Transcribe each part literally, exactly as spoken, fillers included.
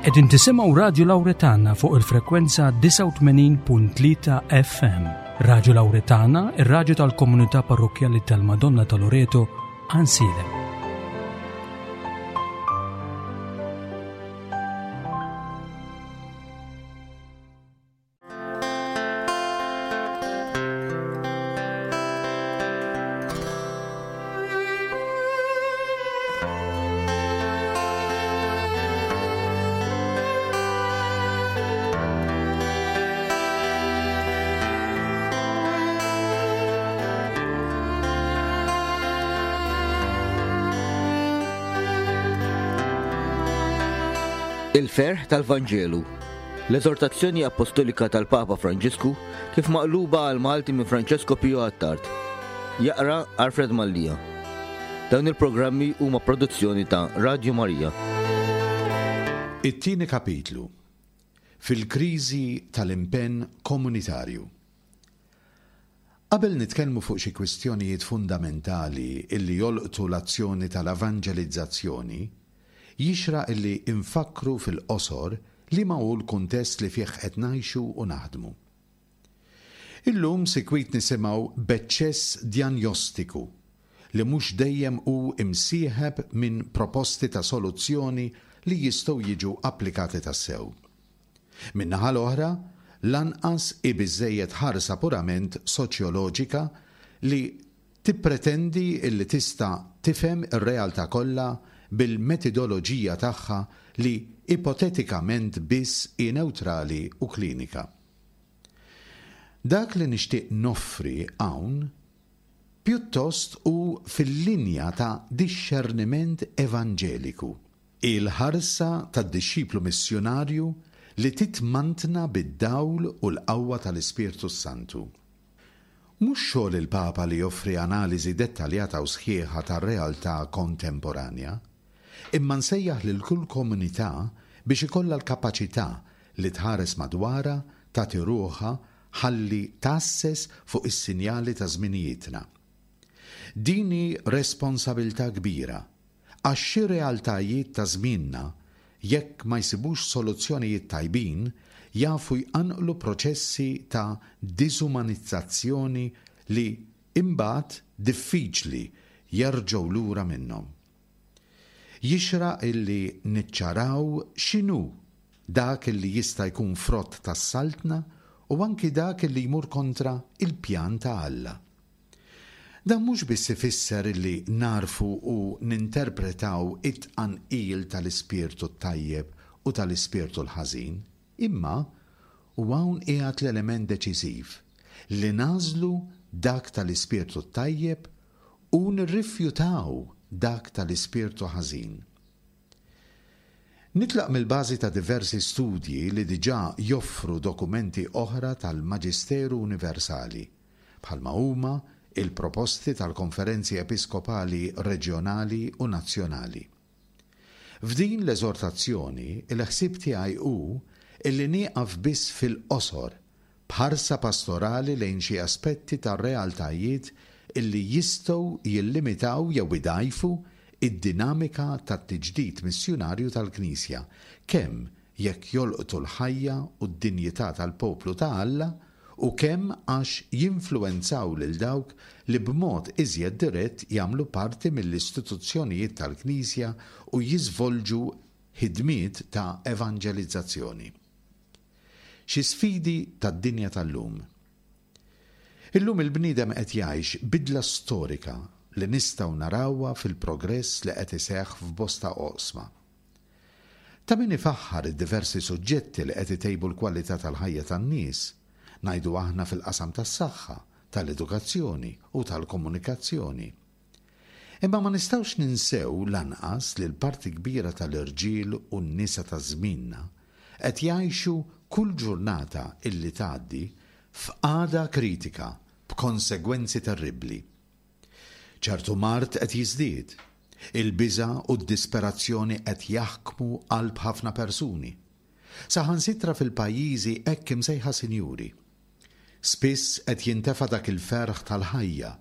Qegħdin tisimgħu Radju Lawretana fuq il-frekwenza disgħa u tmenin punt tlieta F M. Radju Lawretana, ir-radju tal-Komunità Parrokkjali tal-Madonna ta' Loreto, Għajnsielem. Il-ferħ tal-Vanġelu. L-eżortazzjoni apostolika tal-Papa Franġisku kif maqluba għal Malti minn Francesco Pio Attard. Jaqra Alfred Mallia. Dawn il-programmi huma produzzjoni ta' Radio Maria. It-tieni kapitlu. Fil-kriżi tal-impenn komunitarju. Qabel nitkellmu fuq xi kwistjonijiet fundamentali illi jolqtu l-azzjoni tal-evanġelizzazzjoni, jixraq illi infakkru fil-qosor liema hu l-kuntest li fih qed ngħixu u naħdmu. Illum sikwit nisimgħu b'eċċess djanjostiku li mhux dejjem hu imsieħeb minn proposti ta' soluzzjoni li jistgħu jiġu applikati tassew. Min-naħa l-oħra, lanqas hi biżżejjed ħarsa purament soċjoloġika li tippretendi illi tista' tifhem ir-realtà kollha bil-metodoloġija tagħha li ipotetikament biss hi newtrali u klinika. Dak li nixtieq noffri hawn pjuttost hu fil-linja ta' dixxerniment evanġeliku. Il-ħarsa tad-dixxiplu missjunarju li titmantna bid-dawl u l-qawwa tal-Ispirtu Santu. Mhux xogħol il-Papa li joffri analiżi dettaljata u sħiħa tar-realtà kontemporanja, imma nsejjaħ lil kull komunità biex ikollha l-kapaċità li tħares madwarha, tagħti ruħha ħalli tgħasses fuq is-sinjali ta' żminijietna. Din hi responsabilità kbira għax xi realtajiet ta' żmienna, jekk ma jsibux soluzzjonijiet tajbin, jafu jqanqlu proċessi ta' diżumanizzazzjoni li imbagħad diffiċli jerġgħu lura minnhom. Jixraq illi niċċaraw x'inhu dak illi jista' jkun frott tas-saltna u anki dak illi jmur kontra il-pjan ta' Alla. Dan mhux biss ifisser illi nagħrfu u ninterpretaw it-tqanqil tal-ispirtu tajjeb u tal-ispirtu l-ħażin, imma, u hawn qiegħed l-element deċiżiv, li nagħżlu dak tal-ispirtu tajjeb u nirrifjutaw dak tal-ispirtu ħażin. Nitlaq mill-bażi ta' diversi studji li diġà joffru dokumenti oħra tal-Maġisteru Universali, bħalma huma il-proposti tal-konferenzi episkopali reġjonali u nazzjonali. F'din l-eżortazzjoni, il-ħsieb tiegħi hu illi nieqaf biss fil-qosor b'ħarsa pastorali lejn xi aspetti tar-realtajiet illi jistgħu jillimitaw jew idgħajfu id-dinamika tat-tiġdid missjunarju tal-Knisja, kemm jekk jolqtu l-ħajja u d-dinjità tal-poplu ta' Alla u kemm għax jinfluwenzaw lil dawk li b'mod iżjed dirett jagħmlu parti mill-istituzzjonijiet tal-Knisja u jiżvolġu ħidmiet ta' evanġelizzazzjoni. Xi sfidi tad-dinja tal-lum. Illum il-bniedem qed jgħix bidla storika li nistgħu narawha fil-progress li qed iseħħ f'bosta oqsma. Ta' min ifaħħar id-diversi suġġetti li qed itejbu l-kwalità tal-ħajja tan-nies, ngħidu aħna fil-qasam tas-saħħa, tal-edukazzjoni u tal-komunikazzjoni. Imma ma nistgħux ninsew lanqas li l-parti kbira tal-irġiel u n-nisa ta' żmienna qed jgħixu kull ġurnata illi tgħaddi f'qagħda kritika b'konsegwenzi terribbli. Ċertu mard qed jiżdied, il-biża u d-disperazzjoni qed jaħkmu qalb ħafna persuni. Saħansitra fil-pajjiżi hekk imsejħa sinjuri. Spiss qed jintefa dak il-ferħ tal-ħajja,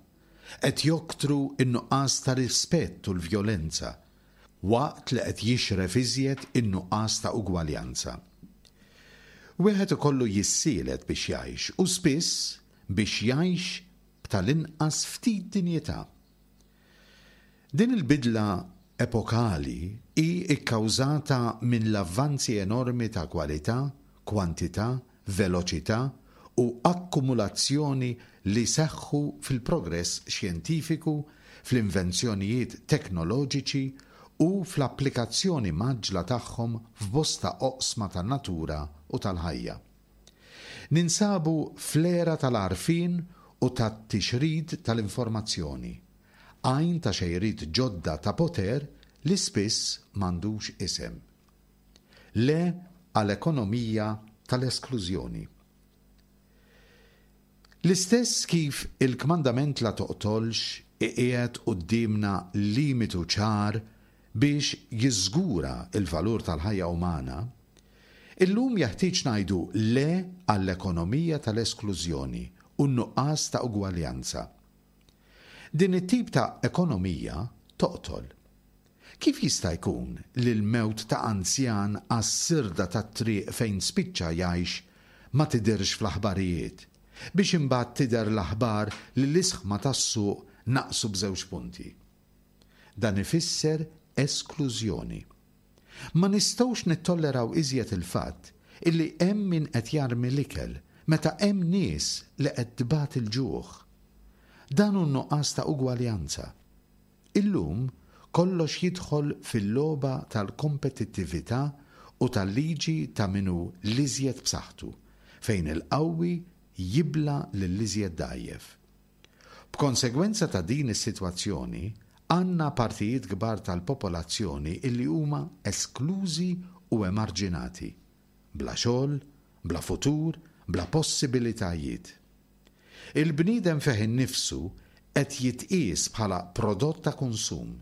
qed joktru in-nuqqas ta' rispett u l-vjolenza. waqt li qed jixref iżjed in-nuqqas ta' ugwaljanza. Wieħed ikollu jissielet biex jgħix u spiss biex jgħix b'tal-inqas ftit dinjità. Din il-bidla epokali hi kkawżata minn l-avvanzi enormi ta' kwalità, kwantità, veloċità u akkumulazzjoni li seħħu fil-progress xjentifiku, fl-invenzjonijiet teknoloġiċi u fl-applikazzjoni mgħaġġla tagħhom f'bosta oqsma tan-natura u tal-ħajja. Ninsabu fl-era tal-għarfien u tat-tixrid tal-informazzjoni, għajn ta' xejriet ġodda ta' poter li spiss m'għandux isem. Le għal ekonomija tal-esklużjoni. L-istess kif il-kmandament la toqtolx iqiegħed quddiemna limitu ċar biex jiżgura l-valur tal-ħajja umana, illum jeħtieġ ngħidu le għall-ekonomija tal-esklużjoni u n-nuqqas ta' ugwaljanza. Din it-tip ta' ekonomija toqtol. Kif jista' jkun li l-mewt ta' anzjan għas-sirda tat-triq fejn spiċċa jgħix ma tidhirx fl-aħbarijiet, biex imbagħad tidher l-aħbar li l-isħma tas-suq naqsu b'żewġ punti? Dan ifisser esklużjoni. Ma nistgħux nittolleraw iżjed il-fatt illi hemm min qed jarmi l-ikel meta hemm nies li qed tbati l-ġuħ. Dan hu n-nuqqas ta' ugwaljanza. Illum kollox jidħol fil-logħba tal-kompetittività u tal-liġi ta' min hu l-iżjed b'saħħtu, fejn il-qawwi jibla' lill-iżjed dgħajjef. B'konsegwenza ta' din is-sitwazzjoni, għandna partijiet kbar tal-popolazzjoni illi huma esklużi u emarġinati, bla xogħol, bla futur, bla possibilitajiet. Il-bniedem fih innifsu qed jitqies bħala prodott ta' konsum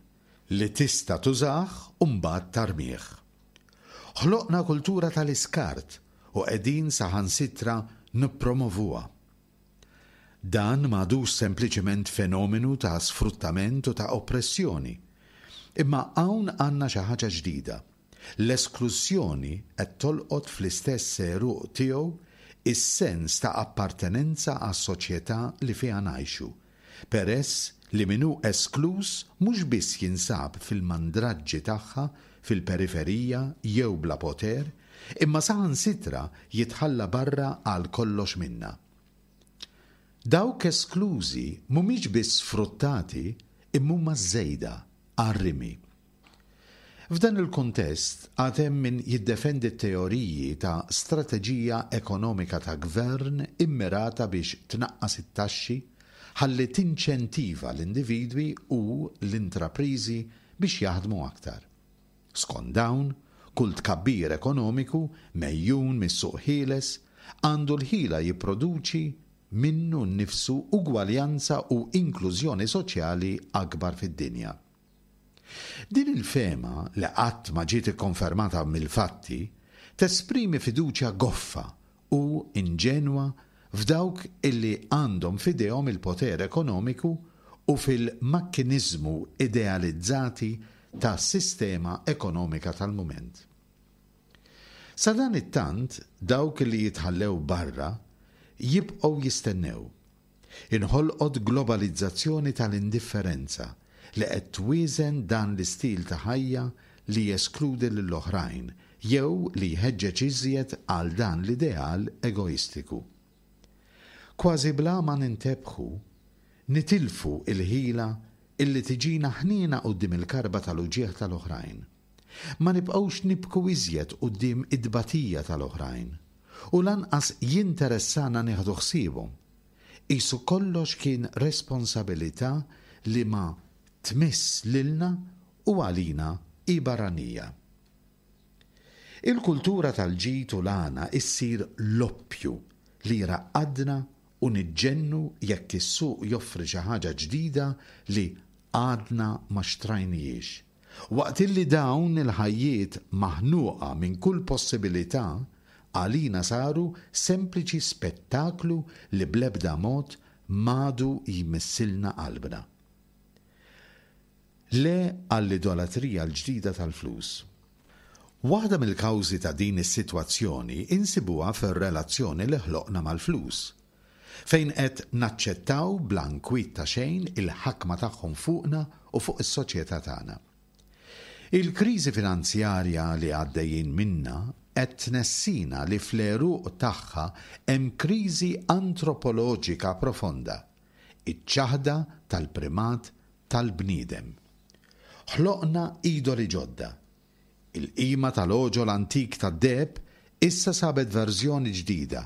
li tista' tużah u mbagħad tarmih. Ħloqna kultura tal-iskart u qegħdin saħansitra nippromovuha. Dan m'għadux sempliċement fenomenu ta' sfruttament u ta' oppressjoni. Imma hawn għandna xi ħaġa ġdida. L-esklużjoni qed tolqot fl-istess għeruq tiegħu is-sens ta' appartenenza għas-soċjetà li fiha ngħixu, peress li min hu eskluż mhux biss jinsab fil-mandraġġi tagħha, fil-periferija jew bla poter, imma saħansitra jitħalla barra għal kollox minnha. Dawk esklużi mhumiex biss sfruttati imma huma żejda għar-rimi. F'dan il-kuntest għad hemm min jiddefendi t-teoriji ta' strateġija ekonomika ta' gvern immirata biex tnaqqas it-taxxi ħalli tinċentiva l-individwi u l-intrapriżi biex jaħdmu aktar. Skont dawn, kull tkabbir ekonomiku mejjun mis-suq ħieles għandu l-ħila jipproduċi minnu nnifsu ugwaljanza u inklużjoni soċjali akbar fid-dinja. Din il-fehma, li qatt ma ġiet ikkonfermata mill-fatti, tesprimi fiduċja goffa u inġenwa f'dawk illi għandhom f'idejhom il-poter ekonomiku u fil-makkiniżmu idealizzati tas-sistema ekonomika tal-mument. Sadanittant, dawk li jitħallew barra jibqgħu jistennew. Inħolqot globalizzazzjoni tal-indifferenza li qed twieżen dan l-istil ta' ħajja li jeskludi lill-oħrajn jew li jħeġġeġ iżjed għal dan l-ideal egoistiku. Kważi bla ma nintebħu, nitilfu l-ħila illi tiġina ħniena quddiem il-karba tal-uġigħ tal-oħrajn. Ma nibqgħux nibku iżjed quddiem it-tbatija tal-oħrajn u lanqas jinteressana nieħdu ħsiebhom. Qisu kollox kien responsabilità li ma tmiss lilna u għalina hi barranija. Il-kultura tal-ġid u l-għana issir l-oppju li jraqqadna u niġġennu jekk is-suq joffri xi ħaġa ġdida li għadna ma xtrajnihiex. Waqt illi dawn il-ħajjiet maħnuqa minn kull possibilità għalina saru sempliċi spettaklu li bl-ebda mod m'għadu jmissilna qalbna. Le għall-idolatrija l-ġdida tal-flus. Waħda mill-kawżi ta' din is-sitwazzjoni insibuha fir-relazzjoni li ħloqna mal-flus, fejn qed naċċettaw bla nkwiet ta' xejn il-ħakma tagħhom fuqna u fuq is-soċjetà tagħna. Il-kriżi finanzjarja li għaddejjin minnha qed tnessina li fl-għeruq tagħha hemm kriżi antropoloġika profonda, iċ-ċaħda tal-primat tal-bniedem. Ħloqna idoli ġodda. Il-qima tal-għoġol antik tad-deheb issa sabet verżjoni ġdida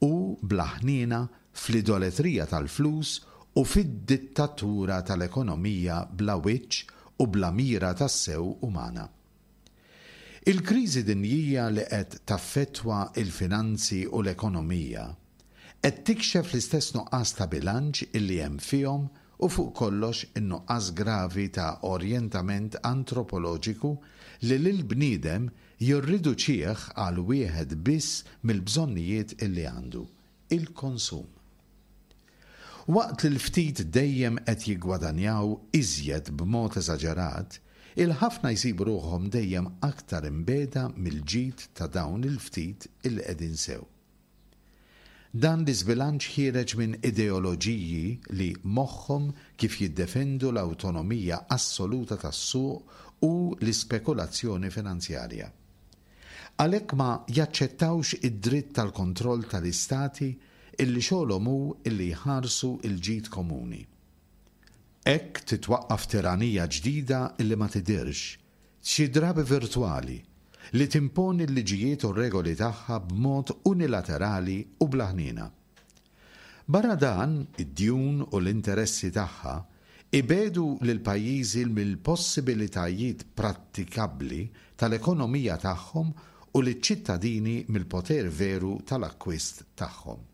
u bla ħniena fl-idoletrija tal-flus u fid-dittatura tal-ekonomija bla wiċċ u bla mira tassew umana. Il-kriżi dinjija li qed taffettwa il-finanzi u l-ekonomija qed tikxef l-istess nuqqas ta' bilanċ illi hemm fihom u fuq kollox in-nuqqas gravi ta' orjentament antropoloġiku li lill-bniedem jirriduċih għal wieħed biss mill-bżonnijiet illi għandu, il-konsum. Waqt li l-ftit dejjem qed jiggwadanjaw iżjed b'mod eżaġerat, il-ħafna jsibu ruħhom dejjem aktar imbiegħda mill-ġid ta' dawn il-ftit illi qegħdin sew. Dan l-iżbilanċ ħiereġ minn ideoloġiji li moħħhom kif jiddefendu l-awtonomija assoluta tas-suq u l-ispekulazzjoni finanzjarja. Għalhekk ma jaċċettawx id-dritt tal-kontroll tal-istati illi xogħolhom hu illi jħarsu l-ġid komuni. Hekk titwaqqaf tiranija ġdida illi ma tidhirx, xi drabi virtwali, li timponi l-liġijiet u r-regoli tagħha b'mod unilaterali u bla ħniena. Barra dan, id-djun u l-interessi tagħha ibiegħdu lil pajjiżi mill-possibilitajiet prattikabbli tal-ekonomija tagħhom u liċ-ċittadini mill-poter veru tal-akkwist tagħhom.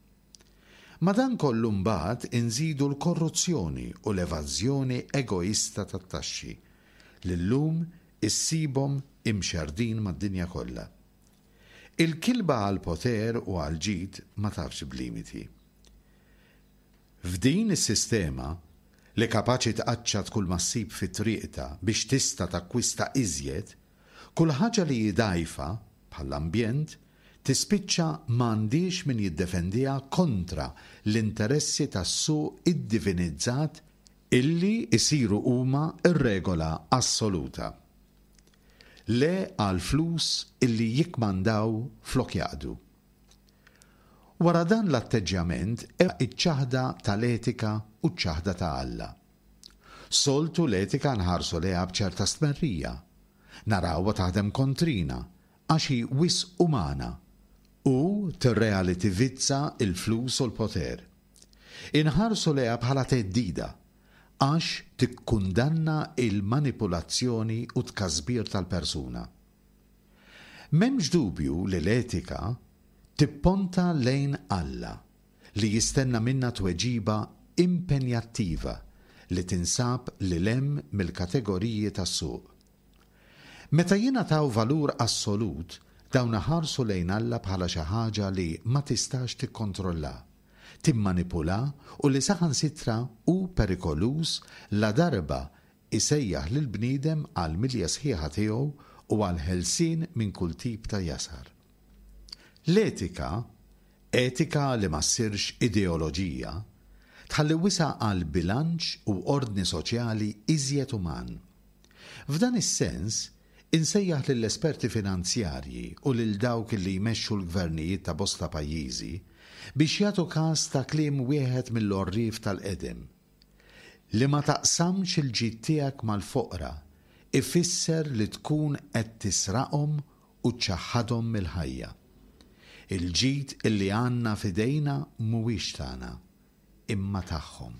Ma' dan kollu mbagħad inżidu l-korruzzjoni u l-evażjoni egoista tat-taxxi li llum issibhom imxerdin mad-dinja kollha. Il-kilba għall-poter u għall-ġid ma tafx b'limiti. F'din is-sistema li kapaċi tqaċċat kull ma ssib fi triqta biex tista' takkwista iżjed, kull ħaġa li hi dgħajfa bħall-ambjent tispiċċa m'għandix min jiddefendiha kontra l-interessi tas-suq iddivinizzat illi jsiru huma r-regola assoluta. Le għal flus illi jikmandaw flok jaqdu. Wara dan l-atteġġjament hemm iċ-ċaħda tal-etika u ċ-ċaħda ta' Alla. Soltu l-etika nħarsu lejha b'ċerta stmerrija. Narawha taħdem kontrina għax hi wisq umana u tirrelativizza il-flus u l-poter. Inħarsu lejha bħala theddida għax tikkundanna il-manipulazzjoni u tkasbir tal-persuna. M'hemmx dubju li l-etika tipponta lejn Alla li jistenna minna tweġiba impenjattiva li tinsab lil hemm mill-kategoriji tas-suq. Meta jingħataw valur assolut, dawn iħarsu lejn Alla bħala xi ħaġa li ma tistax tikkontrolla, timmanipula u li saħansitra hu perikoluż la darba isejjaħ lill-bniedem għal milja sħiħa tiegħu u għal ħelsien minn kull tip ta' jasar. L-etika, etika li ma ssirx ideoloġija, tħalli wisa' għal bilanċ u ordni soċjali iżjed uman. F'dan is-sens, insejjaħ lill-esperti finanzjarji u lil dawk li jmexxu l-gvernijiet ta' bosta pajjiżi biex jagħtu każ ta' kliem wieħed mill-għorrief tal-qedem. Li ma taqsamx il-ġid tiegħek mal-foqra ifisser li tkun qed tisraqhom u ċċaħħadhom mill-ħajja. Il-ġid illi għandna f'idejna mhuwiex tagħna, imma tagħhom.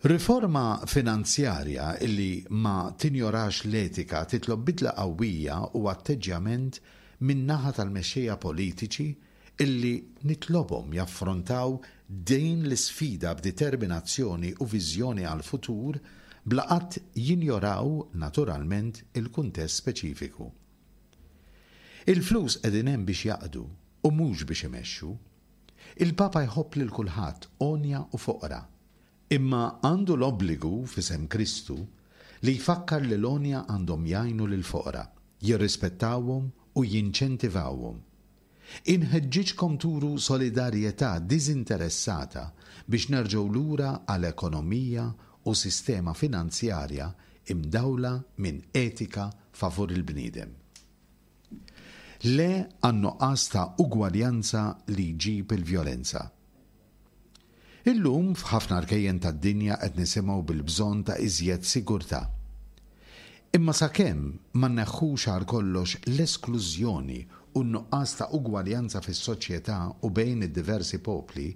Riforma finanzjarja illi ma tinjorax l-etika titlob bidla qawwija u atteġġjament min-naħa tal-mexxejja politiċi illi nitlobhom jaffrontaw din l-isfida b'determinazzjoni u viżjoni għall-futur bla qatt jinjoraw naturalment il-kuntest speċifiku. Il-flus qegħdin hemm biex jaqdu u mhux biex imexxu. Il-Papa jħobb lil kulħadd għonja u foqra, Imma għandu l-obbligu f'isem Kristu li jfakkar li l-għonja għandhom jgħinu lill-foqra, jirrispettawhom u jinċentivawhom. Inħeġġiġkom turu solidarjetà diżinteressata biex nerġgħu lura għal ekonomija u sistema finanzjarja imdawla minn etika favur il-bniedem. Le għan-nuqqas ta' ugwaljanza li jġib il-vjolenza. Illum f'ħafna rkejjen tad-dinja qed nisimgħu bil-bżonn ta' iżjed sigurtà. Imma sakemm ma nneħħux għal kollox l-esklużjoni u n-nuqqas ta' ugwaljanza fis-soċjetà u bejn id-diversi popli,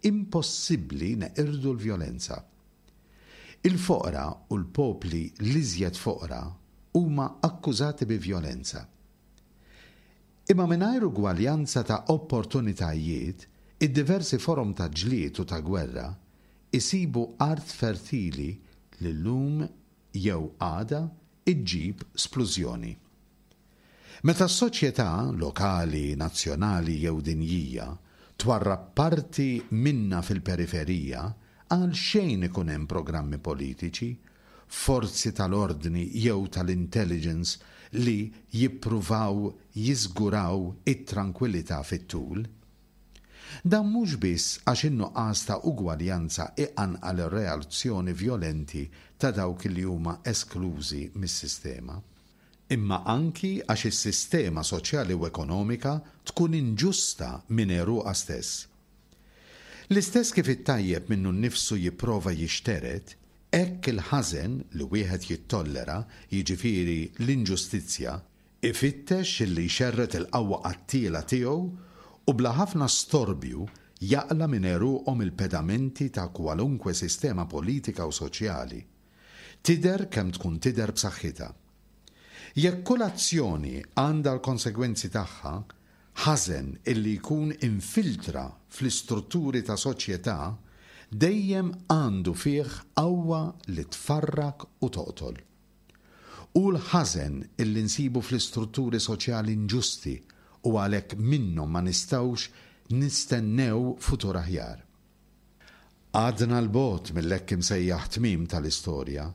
impossibbli neqirdu l-vjolenza. Il-foqra u l-popli l-iżjed foqra huma akkużati bi vjolenza. Imma mingħajr ugwaljanza ta' opportunitajiet, id-diversi forom ta' ġlied u ta' gwerra isibu art fertili li llum jew għada iġġib splużjoni. Meta s-soċjetà lokali, nazzjonali jew dinjija twarrab parti minnha fil-periferija, għal xejn ikun hemm programmi politiċi, forzi tal-ordni jew tal-intelligence li jippruvaw jiżguraw it-trankwillità fit-tul. Dan mhux biss għax in-nuqqas ta' ugwaljanza iqanqal ir-reazzjoni vjolenti ta' dawk li huma esklużi mis-sistema, imma anki għax is-sistema soċjali u ekonomika tkun inġusta minn għeruqha stess. L-istess kif it-tajjeb minnu nnifsu jipprova jixtered, hekk il-ħażen li wieħed jittollera, jiġifieri l-inġustizzja, ifittex illi jxerred il-qawwa qattiela tiegħu u bla ħafna storbju jaqla' minn għeruqhom il-pedamenti ta' kwalunkwe sistema politika u soċjali. Tidher kemm tkun tidher b'saħħitha. Jekk kull azzjoni għandha l-konsegwenzi tagħha, ħażen illi jkun infiltra fl-istrutturi ta' soċjetà dejjem għandu fih qawwa li tfarrak u toqtol. U l-ħażen illi nsibu fl-istrutturi soċjali inġusti u għalhekk minnhom ma nistgħux nistennew futur aħjar. Għadna 'l bogħod mill-hekk imsejjaħ tmiem tal-istorja,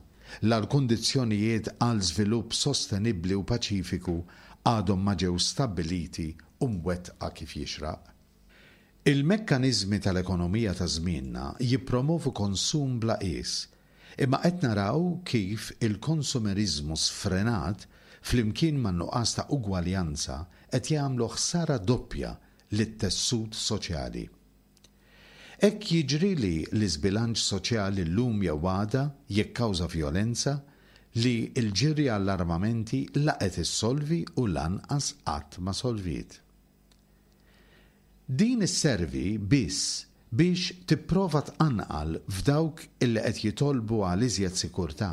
la l-kundizzjonijiet għal żvilupp sostenibbli u paċifiku għadhom ma ġew stabbiliti u mwettqa kif jixraq. Il-mekkaniżmi tal-ekonomija ta' żmienna jippromovu konsum bla qies, imma qed naraw kif il-konsumeriżmu sfrenat flimkien man-nuqqas ta' ugwaljanza qed jagħmlu ħsara doppja lit-tessut soċjali. Hekk jiġri li l-iżbilanċ soċjali llum jew għada jikkawża vjolenza li l-ġirja għall-armamenti la qed issolvi u lanqas qatt ma solviet. Din isservi biss biex tipprova tqanqal f'dawk illi qed jitolbu għal iżjed sikurtà,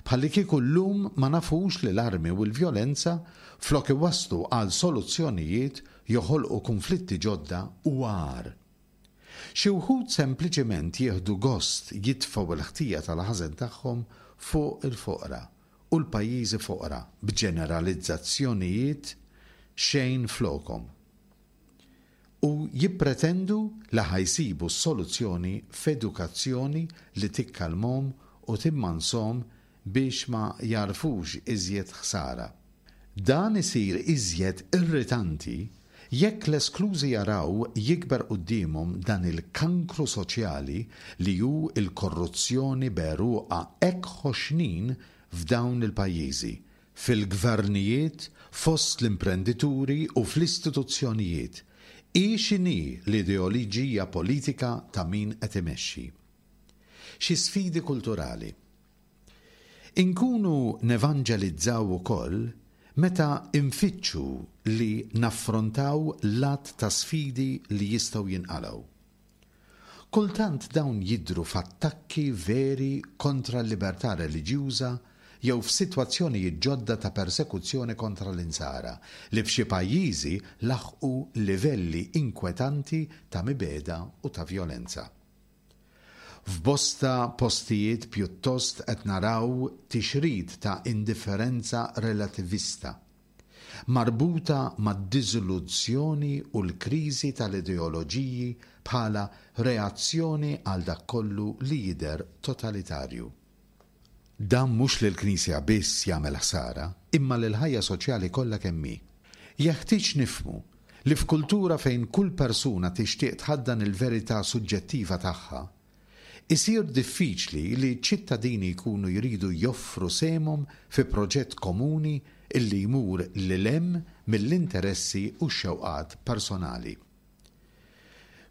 bħallikieku llum ma nafux li l-armi u l-vjolenza flok iwasslu għal soluzzjonijiet joħolqu kunflitti ġodda u agħar. Xi wħud sempliċement jieħdu gost jitfgħu l-ħtija tal-ħażen tagħhom fuq il-foqra u l-pajjiżi foqra b'ġeneralizzazzjonijiet xejn flokhom u jippretendu li ħa jsibu s-soluzzjoni f'edukazzjoni li tikkalmhom u timmanshom biex ma jagħrfux iżjed ħsara. Dan isir iżjed irritanti jekk l-esklużi jaraw jikber quddiemhom dan il-kankru soċjali li hu l-korruzzjoni b'għeruqha hekk ħoxnin f'dawn il-pajjiżi, fil-gvernijiet, fost l-imprendituri u fl-istituzzjonijiet, hi x'inhi l-ideoliġija politika ta' min qed imexxi. Xi sfidi kulturali. Inkunu nevanġelizzaw ukoll meta nfittxu li naffrontaw l-għadd ta' sfidi li jistgħu jinqalgħu. Kultant dawn jidhru f'attakki veri kontra l-libertà reliġjuża jew f'sitwazzjonijiet ġodda ta' persekuzzjoni kontra l-Insara li f'xi pajjiżi laħqu livelli inkwetanti ta' mibegħda u ta' vjolenza. F'bosta postijiet pjuttost qed naraw tixrid ta' indifferenza relativista. marbuta mad-diżillużjoni u l-kriżi tal-ideoloġiji bħala reazzjoni għal dak kollu li jidher totalitarju. Dan mhux lill-Knisja biss jagħmel ħsara, imma lill-ħajja soċjali kollha kemm hi. Jeħtieġ nifhmu li f'kultura fejn kull persuna tixtieq tħaddan il-verità suġġettiva tagħha, isir diffiċli li ċ-ċittadini jkunu jridu joffru sehemhom fi proġett komuni illi jmur lil hemm mill-interessi u x-xewqat personali.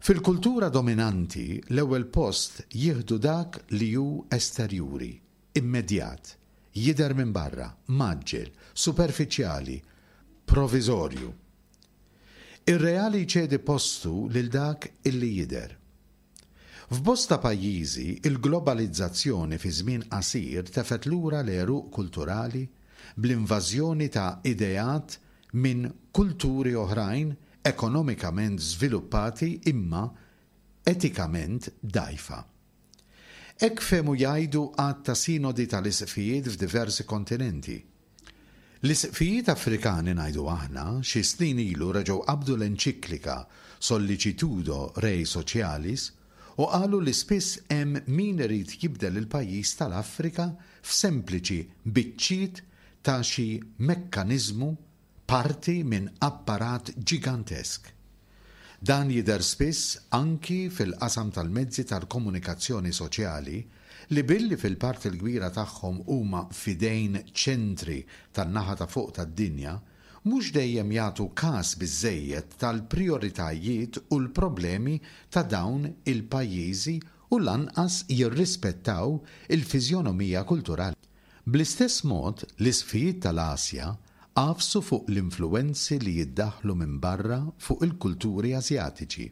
Fil-kultura dominanti, l-ewwel post jieħdu dak li hu esterjuri, immedjat, jidher minn barra, mgħaġġel, superfiċjali, proviżorju. Ir-reali jċedi postu lil dak illi jidher. F'bosta pajjiżi, il-globalizzazzjoni fi żmien qasir tefgħet lura l-għeruq kulturali bl-invażjoni ta' ideat minn kulturi oħrajn ekonomikament żviluppati imma etikament dgħajfa. Hekk fehmu jgħidu għadd ta' sinodi tal-isqfijiet f'diversi kontinenti. L-isqfijiet Afrikani ngħidu aħna, xi snin ilu reġgħu qabdu l-enċiklika Sollicitudo Rei Socialis u qalu li spiss hemm min irid jibdel il-pajjiż tal-Afrika f'sempliċi biċċiet ta' xi mekkaniżmu parti minn apparat ġigantesk. Dan jidher spiss anki fil-qasam tal-mezzi tal-komunikazzjoni soċjali li billi fil-parti l-kbira tagħhom huma f'idejn ċentri tan-naħa ta' fuq tad-dinja, mhux dejjem jagħtu kas biżżejjed tal-prijoritajiet u l-problemi ta' dawn il-pajjiżi u lanqas jirrispettaw il-fiżjonomija kulturali. Bl-istess mod, l-isqfijiet tal-Asja għafsu fuq l-influwenzi li jiddaħħlu minn barra fuq il-kulturi Asjatiċi.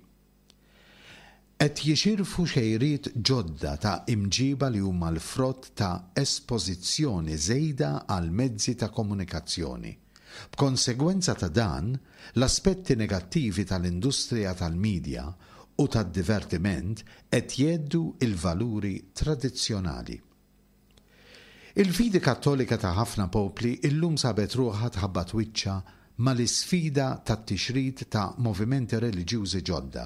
Qed jixirfu xejriet ġodda ta' imġiba li huma l-frott ta' espożizzjoni żejda għal mezzi ta' komunikazzjoni. B'konsegwenza ta' dan, l-aspetti negattivi tal-industrija tal-midja u tad-divertiment qed jgħeddu l-valuri tradizzjonali. Il-fidi Kattolika ta' ħafna popli illum sabet ruħha tħabbat wiċċha mal-isfida tat-tixrid ta' movimenti reliġjużi ġodda.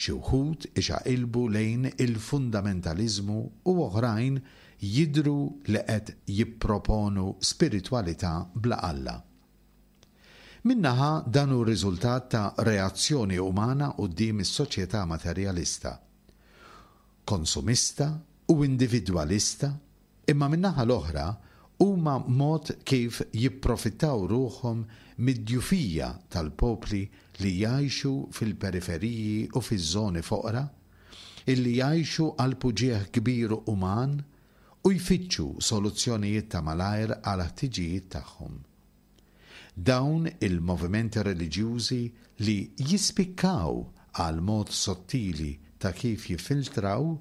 Xi wħud ixaqilbu lejn il-fundamentaliżmu u oħrajn jidhru li qed jipproponu spiritwalità bla Alla. Minn naħa dan hu r-riżultat ta' reazzjoni umana quddiem is-soċjetà materjalista, konsumista u individwalista, imma min-naħa l-oħra huma mod kif jipprofittaw ruħhom mid-djufija tal-popli li jgħixu fil-periferiji u fiż-żoni foqra, illi jgħixu qalb uġigħ kbir uman u jfittxu soluzzjonijiet ta' malajr għal ħtiġijiet tagħhom. Dawn il-movimenti reliġjużi li jispikkaw għal mod sottili ta' kif jiffiltraw,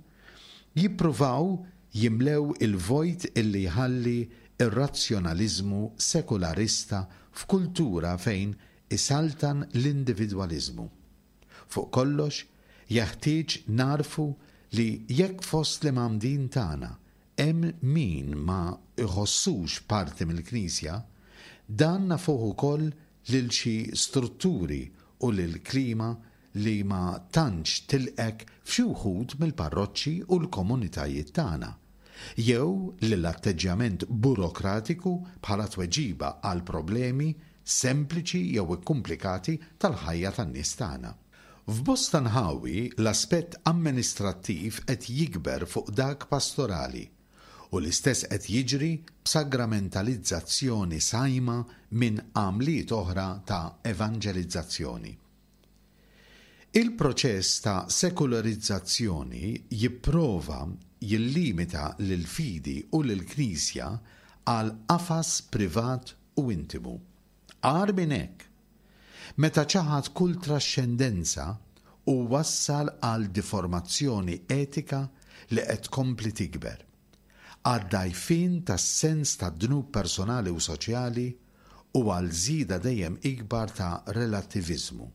jippruvaw jimlew il-vojt illi jħalli ir-razzjonaliżmu sekularista f'kultura fejn isaltan l-individwaliżmu. Fuq kollox, jeħtieġ nagħrfu li jekk fost l-imgħammdin tagħna hemm min ma jħossux parti mill-Knisja, dan nafuh ukoll lil xi strutturi u lil klima li ma tantx tilqek f'xi wħud mill-parroċċi u l-komunitajiet tagħna, jew lill-atteġġjament burokratiku bħala tweġiba għal problemi sempliċi jew ikkumplikati tal-ħajja tan-nies tagħna. F'bosta nħawi l-aspett amministrattiv qed jikber fuq dak pastorali u l-istess qed jiġri b'sagramentalizzazzjoni sajma minn għamliet oħra ta' evanġelizzazzjoni. Il-proċess ta' sekularizzazzjoni jipprova jillimita lill-fidi u lill-Knisja għal qafas privat u intimu. Agħar minn hekk, meta ċaħad kull traxxendenza u wassal għal diformazzjoni etika li qed tkompli tikber, għad-dgħajfien tas-sens tad-dnub personali u soċjali u għal żieda dejjem ikbar ta' relattiviżmu.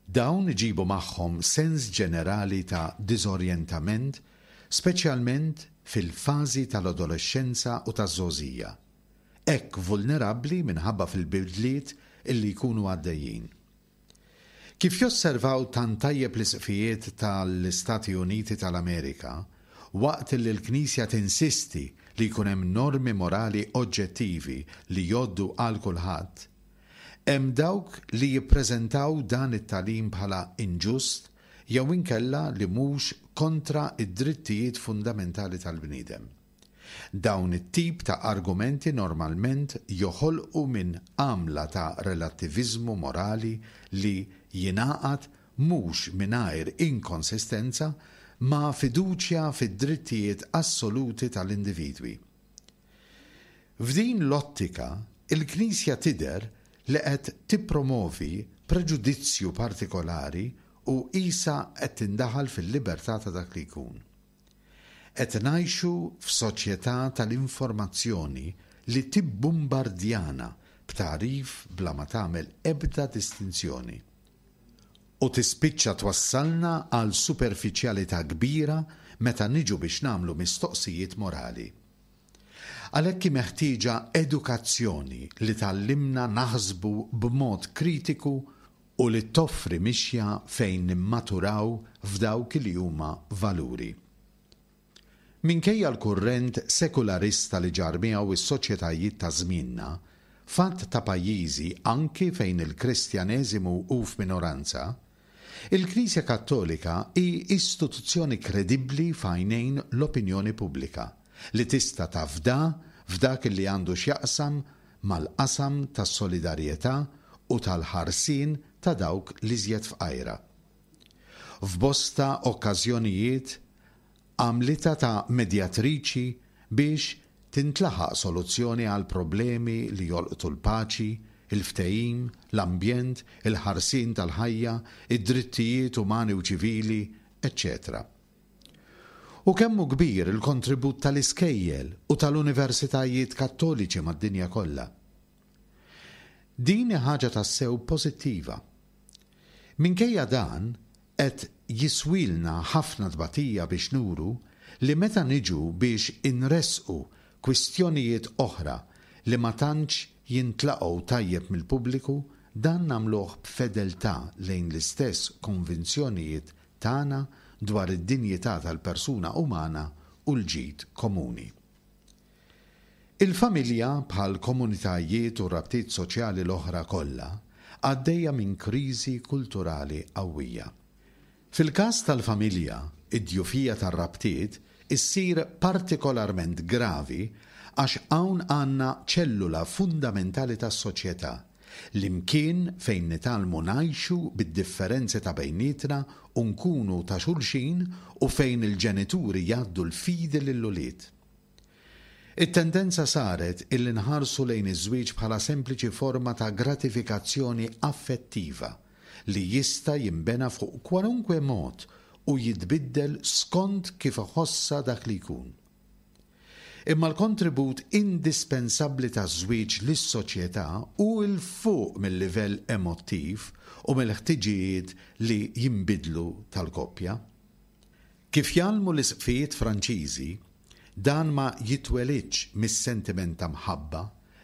Dawn iġibu magħhom sens ġenerali ta' diżorjentament, speċjalment fil-fażi tal-adolexxenza u taż-żgħożija. hekk vulnerabbli minħabba fil-bidliet illi jkunu għaddejjin. Kif josservaw tant tajjeb l-isqfijiet tal-Istati Uniti tal-Amerika, waqt li l-Knisja tinsisti li jkun hemm normi morali oġġettivi li jgħoddu għal kulħadd, hemm dawk li jippreżentaw dan it-tagħlim bħala inġust jew inkella li mhux kontra id-drittijiet fundamentali tal-bniedem. Dawn it-tip ta' argumenti normalment joħolqu minn għamla ta' relattiviżmu morali li jingħaqad mhux mingħajr inkonsistenza ma' fiduċja fid-drittijiet assoluti tal-individwi. F'din l-ottika, il-Knisja tidher li qed tippromovi preġudizzju partikolari u qisha qed tindaħal fil-libertà ta' dak li jkun. Qed ngħixu f'soċjetà tal-informazzjoni li tibbombardjana b'tagħrif bla ma tagħmel ebda distinzjoni. U tispiċċa twassalna għal superfiċjalità kbira meta niġu biex nagħmlu mistoqsijiet morali. Għalhekk hi meħtieġa edukazzjoni li tgħallimna naħsbu b'mod kritiku u li toffri mixja fejn nimmaturaw f'dawk li huma valuri. Minkejja l-kurrent sekularista li ġarr miegħu is-soċjetajiet ta' żmienna, f'għadd ta' pajjiżi anki fejn il-Kristjaneżimu hu f'minoranza, il-Knisja Kattolika hi istituzzjoni kredibbli f'għajnejn l-opinjoni pubblika li tista' tafda f'dak li għandu x'jaqsam mal-qasam tas-solidarjetà u tal-ħarsien ta' dawk l-iżjed fqajra. F'bosta okkażjonijiet għamlitha ta' medjatriċi biex tintlaħaq soluzzjoni għal problemi li jolqtu l-paċi, il-ftehim, l-ambjent, il-ħarsien tal-ħajja, id-drittijiet umani u ċivili, eċċetera. U kemm hu kbir il-kontribut tal-iskejjel u tal-universitajiet kattoliċi mad-dinja kollha. Din hi ħaġa tassew pożittiva. Minkejja dan, qed jiswilna ħafna tbatija biex nuru li meta niġu biex inressqu kwistjonijiet oħra li ma tantx jintlaqgħu tajjeb mill-pubbliku, dan nagħmluh b'fedeltà lejn l-istess konvinzjonijiet tagħna dwar id-dinjità tal-persuna umana u l-ġid komuni. Il-familja bħal komunitajiet u rabtiet soċjali l-oħra kollha għaddejja minn kriżi kulturali qawwija. Fil-każ tal-familja, id-djufija tar-rabtiet issir partikolarment gravi għax hawn għandna ċellula fundamentali tas-soċjetà, l-imkien fejn nitgħallmu ngħixu bid-differenzi ta' bejnietna u nkunu ta' xulxin u fejn il-ġenituri jgħaddu l-fidi lill-ulied. It-tendenza saret illi nħarsu lejn iż-żwieġ bħala sempliċi forma ta' gratifikazzjoni affettiva li jista' jinbena fuq kwalunkwe mod u jitbiddel skont kif iħossha dak li jkun. Imma l-kontribut indispensabbli taż-żwieġ lis-soċjetà hu 'l fuq mill-livell emottiv u mill-ħtiġijiet li jinbidlu tal-koppja. Kif jgħallmu l-isqfijiet Franċiżi, dan ma jitwelidx mis-sentiment ta' mħabba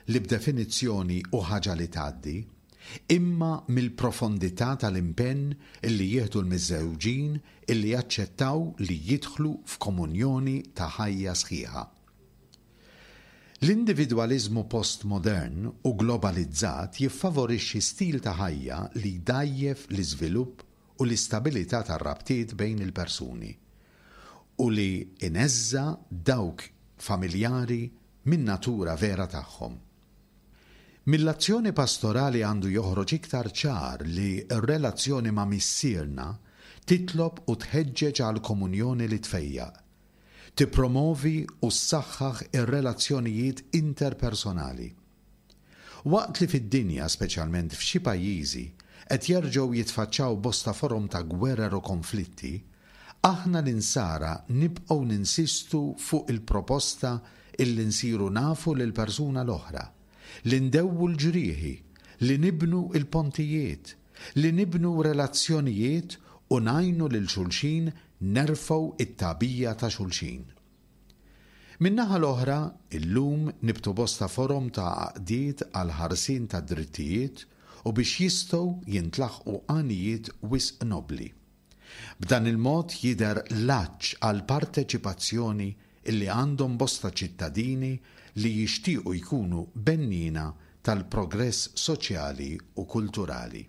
li b'definizzjoni hu ħaġa li tgħaddi, imma mill-profondità tal-impenn illi jieħdu l-miżżewġin illi jaċċettaw li jidħlu f'komunjoni ta' ħajja sħiħa. L-individwaliżmu postmodern u globalizzat jiffavorixxi stil ta' ħajja li jdgħajjef l-iżvilupp u l-istabilità tar-rabtiet bejn il-persuni u li ineżża' dawk familjari min-natura vera tagħhom. Mill-azzjoni pastorali għandu joħroġ iktar ċar li r-relazzjoni ma' Missierna titlob u tħeġġeġ għal komunjoni li tfejjaq, tippromovi u ssaħħaħ ir-relazzjonijiet interpersonali. Waqt li fid-dinja, speċjalment f'xi pajjiżi, qed jerġgħu jitfaċċaw bosta forom ta' gwerer u konflitti, aħna l-insara nibqgħu ninsistu fuq il-proposta illi nsiru nafu lill-persuna l-oħra, li ndewwu l-ġrieħi, li nibnu l-pontijiet, li nibnu relazzjonijiet u ngħinu lil xulxin nerfgħu it-tagħbija ta' xulxin. Min-naħa l-oħra, illum nibtu bosta forom ta' għaqdiet għall-ħarsien tad-drittijiet u biex jistgħu jintlaħqu għanijiet wisq nobbli. B'dan il-mod jidher l-għatx għall-parteċipazzjoni illi għandhom bosta ċittadini li jixtiequ jkunu benniena tal-progress soċjali u kulturali.